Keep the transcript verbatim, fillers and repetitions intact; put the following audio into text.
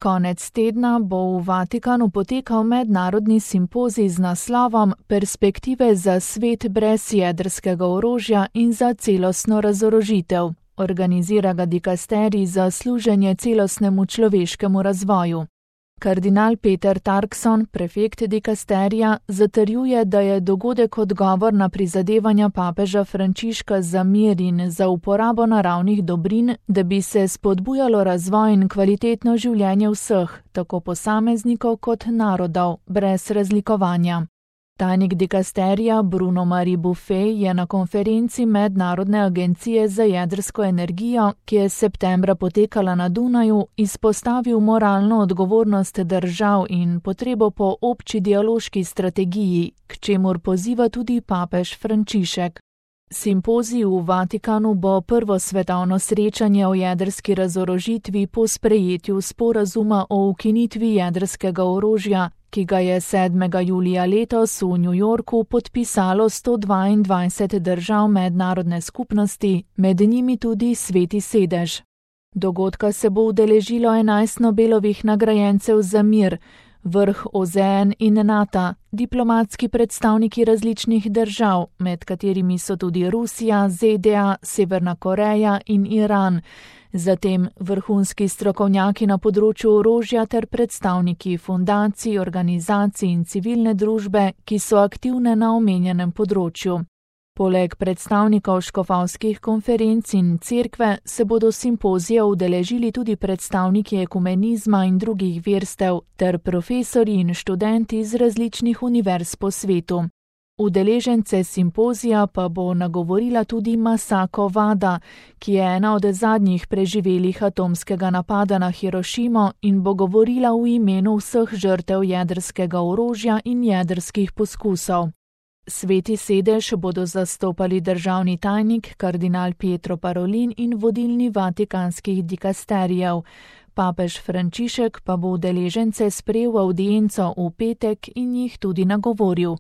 Konec tedna bo v Vatikanu potekal mednarodni simpozij z naslovom Perspektive za svet brez jedrskega orožja in za celostno razorožitev. Organizira ga dikasterij za služenje celostnemu človeškemu razvoju. Kardinal Peter Turkson, prefekt dikasterija, zatrjuje, da je dogodek odgovor na prizadevanja papeža Frančiška za mir in za uporabo naravnih dobrin, da bi se spodbujalo razvoj in kvalitetno življenje vseh, tako posameznikov kot narodov, brez razlikovanja. Tajnik dikasterija Bruno Marie Buffet je na konferenci Mednarodne agencije za jedrsko energijo, ki je septembra potekala na Dunaju, izpostavil moralno odgovornost držav in potrebo po obči dialoški strategiji, k čemur poziva tudi papež Frančišek. Simpozij v Vatikanu bo prvo svetovno srečanje o jedrski razorožitvi po sprejetju sporazuma o ukinitvi jedrskega orožja, ki ga je sedmega julija letos v New Yorku podpisalo sto dvaindvajset držav mednarodne skupnosti, med njimi tudi Sveti sedež. Dogodka se bo udeležilo enajst Nobelovih nagrajencev za mir, vrh O Z N in NATO, diplomatski predstavniki različnih držav, med katerimi so tudi Rusija, Z D A, Severna Koreja in Iran, zatem vrhunski strokovnjaki na področju orožja ter predstavniki fundacij, organizacij in civilne družbe, ki so aktivne na omenjenem področju. Poleg predstavnikov škofovskih konferenc in cerkve se bodo simpozija udeležili tudi predstavniki ekumenizma in drugih verstev ter profesorji in študenti iz različnih univerz po svetu. Udeležence simpozija pa bo nagovorila tudi Masako Wada, ki je ena od zadnjih preživelih atomskega napada na Hirošimo in bo govorila v imenu vseh žrtev jedrskega orožja in jedrskih poskusov. Sveti sedež bodo zastopali državni tajnik kardinal Pietro Parolin in vodilni vatikanskih dikasterijev. Papež Frančišek pa bo udeležence sprejel v avdienco v petek in jih tudi nagovoril.